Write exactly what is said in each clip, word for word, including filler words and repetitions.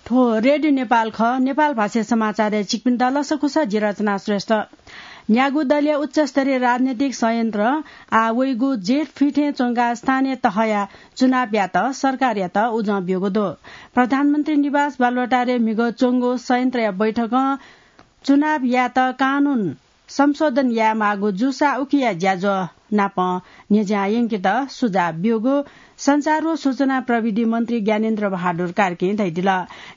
थ्व रेडियो नेपाल खः। नेपाल भाषा समाचारय् छिकपिन्त लसकुस, जि रचना श्रेष्ठ। न्यागू दलया उच्चस्तरीय राजनैतिक संयन्त्र आः वइगु जेठ फिथें च्वंकाः स्थानीय तहया चुनावयात सरकारयात उजं ब्यूगु दु। प्रधानमन्त्री निवास बालुवाटारय् म्हिगः च्वंगु संयन्त्रया बैठकं चुनावयात कानून संशोधन यायेमाःगु जूसा उकिया ज्याझ्वः नाप न्ह्यज्यां यंकेत सुझाव ब्यूगु सञ्चार व सूचना प्रविधि मन्त्री ज्ञानेन्द्र बहादुर कार्कीं धयादिल।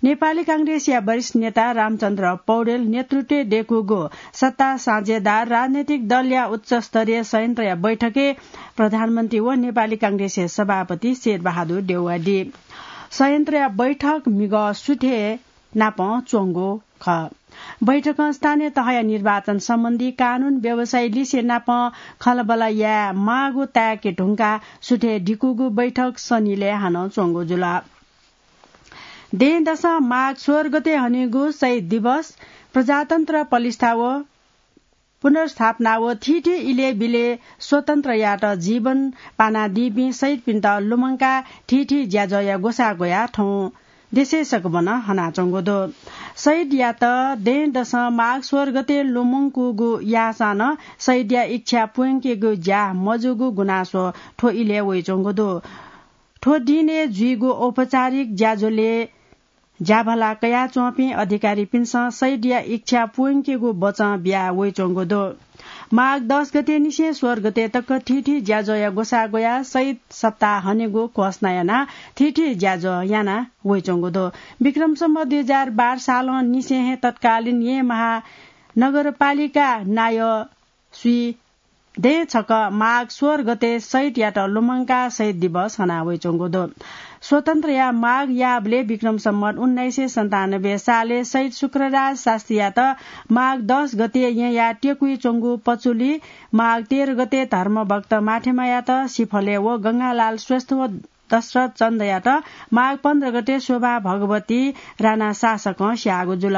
नेपाली कांग्रेसया वरिष्ठ नेता रामचन्द्र पौडेल नेतृत्वय् दयेकूगु सत्ता साझेदार राजनैतिक दलया उच्चस्तरीय संयन्त्रया बैठकय् प्रधानमन्त्री व नेपाली कांग्रेसया सभापति शेरबहादुर देउवादी। संयन्त्रया बैठक म्हिगः सुथय् नाप च्वंगु खः। बैठकं स्थानीय तहया निर्वाचन सम्बन्धी कानून व्यवसायी लिसे नाप खँल्हाबल्हा यायेमाःगु ताय्के धुंकाः सुथय् दिकूगु बैठक सनिलय् हानं च्वंगु जुल। दँय्‌दसं माघ सोह्र गते हनीगु शहीद दिवस, प्रजातन्त्र पलिस्था व पुनर्स्थापना व थीथी इलय् बिलय् स्वतन्त्रयात जीवन पानादीपिं शहीदपिन्त लुमंकाः थीथी ज्याझ्वःया ग्वसाः ग्वयाः थौं देशय् सकभनं हनाच्वंगु दु। शहीदयात दँय्‌दसं माघ सोह्र गते लुमंकूगु याःसां नं शहीदया इच्छा पूवंकेगु ज्या मजूगु गुनासो थ्व इलय् वइच्वंगु दु। थ्व दिनय् जुइगु औपचारिक ज्याझ्वलय् ज्याभला कयाच्वंपिं अधिकारीपिन्सं शहीदया इच्छा पूवंकेगु बचं बिया वइच्वंगु दु। माघ दस गते निसें सोह्र गते तक थीथी ज्याझ्वःया ग्वसाः ग्वयाः शहीद सप्ताह हनेगु घोषणा यानाः थीथी ज्याझ्वः याना वइच्वंगु दु। विक्रम सम्वत दुई हजार बाह्र सालं निसें हे तत्कालीन येँ महानगरपालिका नायः स्वीदँय् छकः माघ सोह्र गते शहीदयात लुमंकाः शहीद दिवस हना वइच्वंगु दु। स्वतन्त्रया माग याःबलय् विक्रम सम्वत उन्नाइस सय सन्तानब्बे सालय् शहीद शुक्रराज शास्त्रीयात माघ दस गते येँया टेकुइ च्वंगु पचुली, माघ तेह्र गते धर्मभक्त माथेमायात सिफलय् व गंगालाल श्रेष्ठ व दशरथ चन्दयात माघ पन्ध्र गते शोभा भगवती राणा शासकं स्याःगु जुल।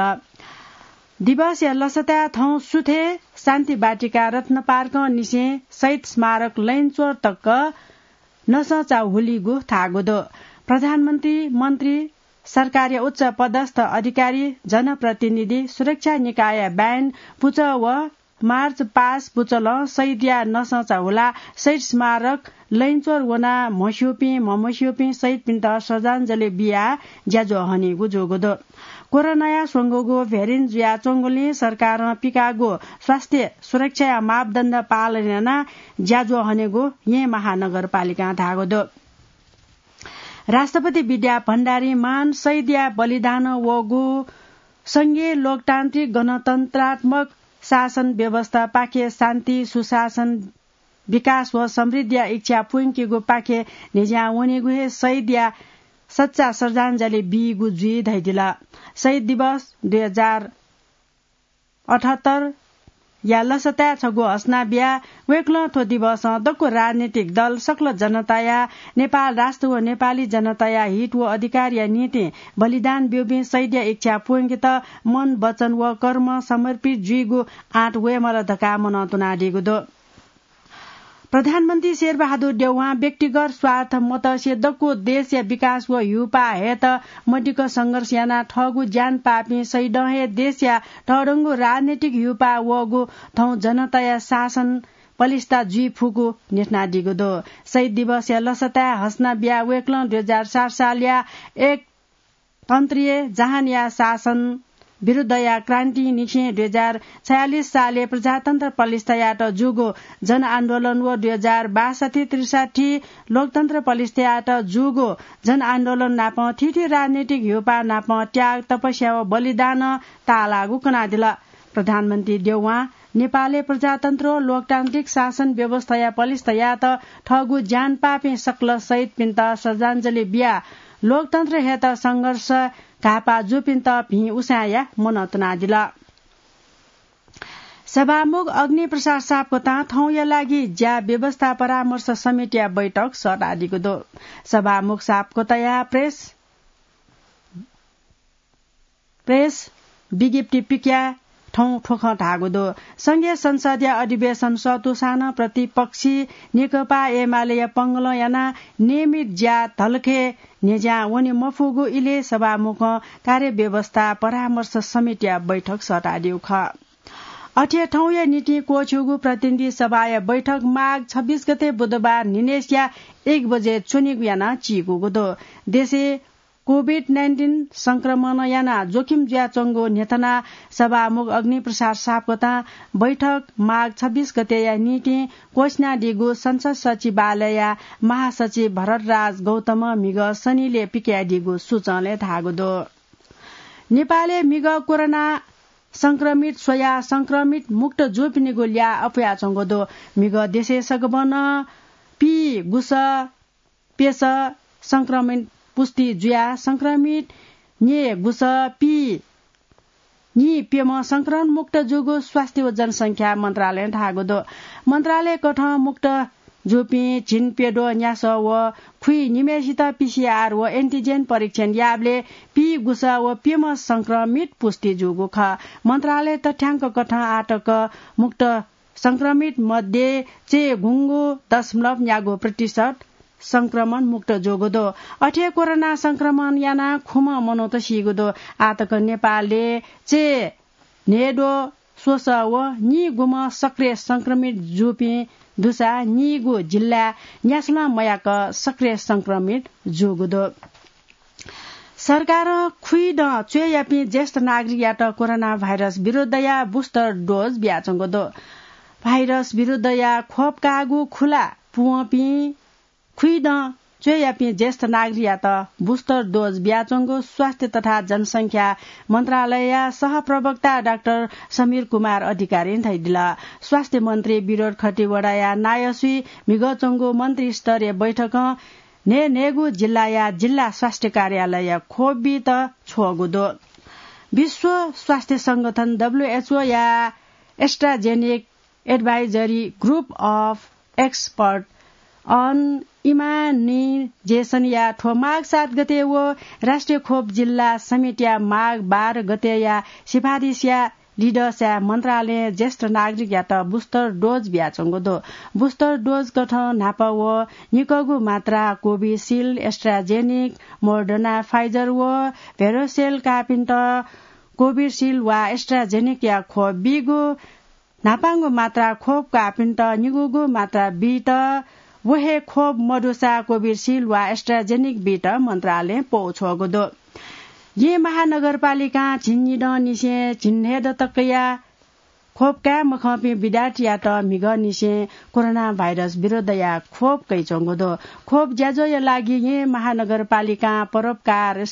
दिवसया लसताय् थौं सुथय् शान्ति वाटिका रत्न पार्कं निसें शहीद स्मारक लैनचोर तक नसंचा हुलीगु धाःगु दु। प्रधानमन्त्री, मन्त्री, सरकारया उच्च पदस्थ अधिकारी, जनप्रतिनिधि, सुरक्षा निकायया band पुचः व march past पुचलं शहीदया नसंचा हुलाः शहीद स्मारक लैनचोर वनाः म्हस्यूपिं, म्हमस्यूपिं शहीदपिन्त श्रद्धाञ्जली बियाः ज्याझ्वः हनीगु जूगु दु। कोरोनाया स्वंगूगु variant जुयाच्वंगुलिं सरकारं पिकाःगु स्वास्थ्य सुरक्षाया मापदण्ड पालन यानाः ज्याझ्वः हनेगु येँ महानगरपालिकां धाःगु दु। राष्ट्रपति विद्या भण्डारीं महान शहीदया बलिदानं वःगु संघीय लोकतान्त्रिक गणतन्त्रात्मक शासन व्यवस्थापाखे शान्ति, सुशासन, विकास व समृद्धिया इच्छा पूवंकेगुपाखे न्ह्यज्यां वनीगु हे शहीदया सच्चा श्रद्धाञ्जली बीगु जुइ धयादिल। शहीद दिवस दुई हजार अठहत्तर या लसताय् छगू हसना बियाः वय्कलं थ्व दिवसं दक्व राजनीतिक दल, सकल जनताया, नेपाल राष्ट्र व नेपाली जनताया हित व अधिकारया निंतिं बलिदान ब्यूपिं शहीदया इच्छा पूवंकेत मन, वचन व कर्म समर्पित जुइगु आँट वयेमाल धकाः मनंतुनादीगु दु। प्रधानमन्त्री शेरबहादुर देउवां व्यक्तिगत स्वार्थ मतसे दक्व देशया विकास व ह्यूपाः हयेत मदिक्क संघर्ष यानाः थःगु ज्यान पाःपिं शहीदं हे देशया तःधंगु राजनैतिक ह्यूपाः वःगु थौं जनताया शासन पलिस्था जुइ फुगु न्ह्यथनादीगु दु। शहीद दिवसया लसताय् हसना बियाः वय्कलं दुई हजार सात सालया एक तन्त्रीय जहानया शासन विरुद्धया क्रान्तिनिसें दुई हजार छयालिस सालय् प्रजातन्त्र पलिस्था यायेत जूगु जनआन्दोलन व दुई हजार बासठी त्रिसठी लोकतन्त्र पलिस्था यायेत जूगु जनआन्दोलन नाप थीथी राजनैतिक ह्यूपाः नाप त्याग, तपस्या व बलिदानं ताःलाःगु कनादिल। प्रधानमन्त्री देउवां नेपालय् प्रजातन्त्र व लोकतान्त्रिक शासन व्यवस्थाया पलिस्था यायेत थःगु ज्यान पाःपिं सकल शहीदपिन्त श्रद्धाञ्जली बियाः लोकतन्त्र हयेत संघर्ष घाःपाः जूपिन्त भिं उसाँय्‌या मनंतुनादिल। सभामुख अग्निप्रसाद सापकोटां थौंया लागि ज्या व्यवस्था परामर्श समितिया बैठक सःतादीगु दु। सभामुख सापकोटाया प्रेस प्रेस विज्ञप्ति पिकयाः थौं थ्व खँ धाःगु दु। संघीय संसदया अधिवेशन सतुसां नं प्रतिपक्षी नेकपा एमालेया पंगलं यानाः नियमित ज्या धलखय् न्ह्यज्यां वने मफुगु इलय् सभामुखं कार्यव्यवस्था परामर्श समितिया बैठक सःतादीगु खः। अथे थौंया निंतिं क्वःछिउगु प्रतिनिधि सभाया बैठक माघ छब्बीस गते बुधबार न्हिनय्सिया एक बजे च्वनेगु यानाः चीकूगु दु। देशय् कोभिड नाइन्टिन संक्रमण यानाः जोखिम जुयाच्वंगु न्ह्यथनाः सभामुख अग्निप्रसाद सापकोटां बैठक माघ छब्बीस गतेया निंतिं क्वःछिनादीगु संसद सचिवालयया महासचिव भरतराज गौतमं म्हिगः शनिलय् पिकयादीगु सूचंलय् धाःगु दु। नेपालय् म्हिगः कोरोना संक्रमित स्वयाः संक्रमित मुक्त जूपिनिगु ल्याः अप्वयाच्वंगु दु। म्हिगः देशय् सकभनं पीगुसः प्यसः संक्रमित पुष्टि जुयाः संक्रमित न्यय्गुसः पीन्यय्प्यम्ह संक्रमण मुक्त जूगु स्वास्थ्य व जनसंख्या मन्त्रालयं धाःगु दु। मन्त्रालयकथं मुक्त जूपिं झिंप्यद्वः न्यासः व खुइनिम्हय्सित पीसीआर व एन्टिजेन परीक्षण याःबलय् पीगुसः व प्यम्ह संक्रमित पुष्टि जूगु खः। मन्त्रालय तथ्यांककथं आःतक मुक्त संक्रमित मध्ये चय्गुंगू दशमलव न्यागू प्रतिशत संक्रमण मुक्त जूगु दु। अथे कोरोना संक्रमण यानाः खुम्ह मनूत सीगु दु। आःतक नेपालय् चय् न्हय्द्वः स्वसः व नीगुम्ह सक्रिय संक्रमित जूपिं दुसा नीगु जिल्लाय् न्यासलं मयाक सक्रिय संक्रमित जूगु दु। सरकारं खुइदँ च्वय्यापिं ज्येष्ठ नागरिकयात कोरोना भाइरस विरुद्धया booster dose बियाच्वंगु दु। भाइरस विरुद्धया खोप काःगु खुला पूवंपिं खुइदँ च्वय्यापिं ज्येष्ठ नागरिकयात booster dose बियाच्वंगु स्वास्थ्य तथा जनसंख्या मन्त्रालयया सहप्रवक्ता डाक्टर समीर कुमार अधिकारीं धयादिल। स्वास्थ्य मन्त्री विनोद खतिवडाया नायःसुइ म्हिगः च्वंगु मन्त्रीस्तरीय बैठकं न्हय्न्हय्गू जिल्लाया जिल्ला स्वास्थ्य कार्यालयया खोप बीत छ्वःगु दु। विश्व स्वास्थ्य संगठन, डब्ल्यूएचओया AstraZeneca Advisory Group of Expert on Immunization या थ्व माघ सात गते व राष्ट्रिय खोप जिल्ला समितिया माघ बाह्र गतेया सिफारिसया लिधंसाय् मन्त्रालयं ज्येष्ठ नागरिकयात booster dose बियाच्वंगु दु। Booster dose कथं न्हापा व निकःगु मात्रा Covishield, AstraZeneca, Moderna, Pfizer व Verocell काःपिन्त Covishield वा AstraZeneca या खोप बीगु, न्हापांगु मात्रा खोप काःपिन्त निगूगु मात्रा बीत, व हे खोप मदुसा Covishield वा AstraZeneca बीत मन्त्रालयं पौ छ्वःगु दु। येँ महानगरपालिकां झिंनिदँनिसें झिंन्हय्दँ तकया खोप काये मखंपिं विद्यार्थीयात म्हिगःनिसें कोरोना भाइरस विरुद्धया खोप कयाच्वंगु दु। खोप ज्याझ्वःया लागि येँ महानगरपालिकां परोपकार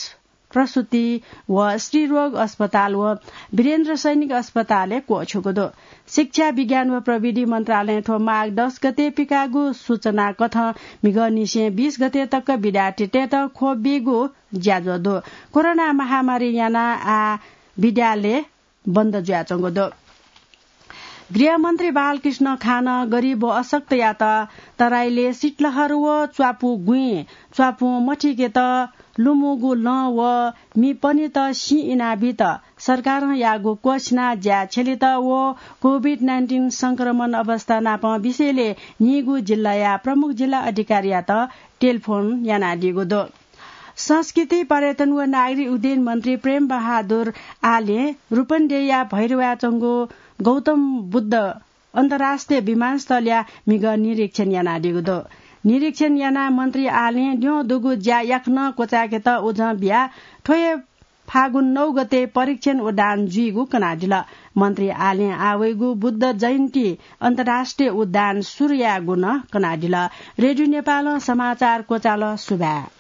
प्रसूति व स्त्रीरोग अस्पताल व वीरेन्द्र सैनिक अस्पतालय् क्वःछ्वःगु दु। शिक्षा, विज्ञान व प्रविधि मन्त्रालयं थ्व माघ दस गते पिकाःगु सूचना कथं म्हिगःनिसें बीस गते तक विद्यार्थीतय्त खोप बीगु ज्याझ्वः दु। कोरोना महामारी यानाः आः विद्यालय बन्द जुयाच्वंगु दु। गृहमन्त्री बालकृष्ण खानं गरिब व अशक्तयात तराईलय् शीतलहर व च्वापु गुँइ च्वापुं मथिकेत लुमूगु लँ व मि पनेत सिँ इनाबीत सरकारं याःगु क्वःछिना ज्या छ्यलेत व कोभिड नाइन्टिन संक्रमण अवस्था नापं विषयलय् नीगू जिल्लाया प्रमुख जिल्ला अधिकारीयात टेलिफोन यानादीगु दु। संस्कृति, पर्यटन व नागरिक उड्डयन मन्त्री प्रेम बहादुर आलें रूपन्देहीया भैरवाय् च्वंगु गौतम बुद्ध अन्तर्राष्ट्रिय विमानस्थलया म्हिगः निरीक्षण यानादीगु दु। निरीक्षण यानाः मन्त्री आलें द्यं दुगु ज्या याकनं क्वचाय्केत उजं बियाः थ्व हे फागुन नौ गते परीक्षण उडान जुइगु कनादिल। मन्त्री आलें आः वइगु बुद्ध जयन्ती अन्तर्राष्ट्रिय उडान सुरु यायेगु नं कनादिल। रेडियो नेपालं समाचार क्वचाल। सुभाय्।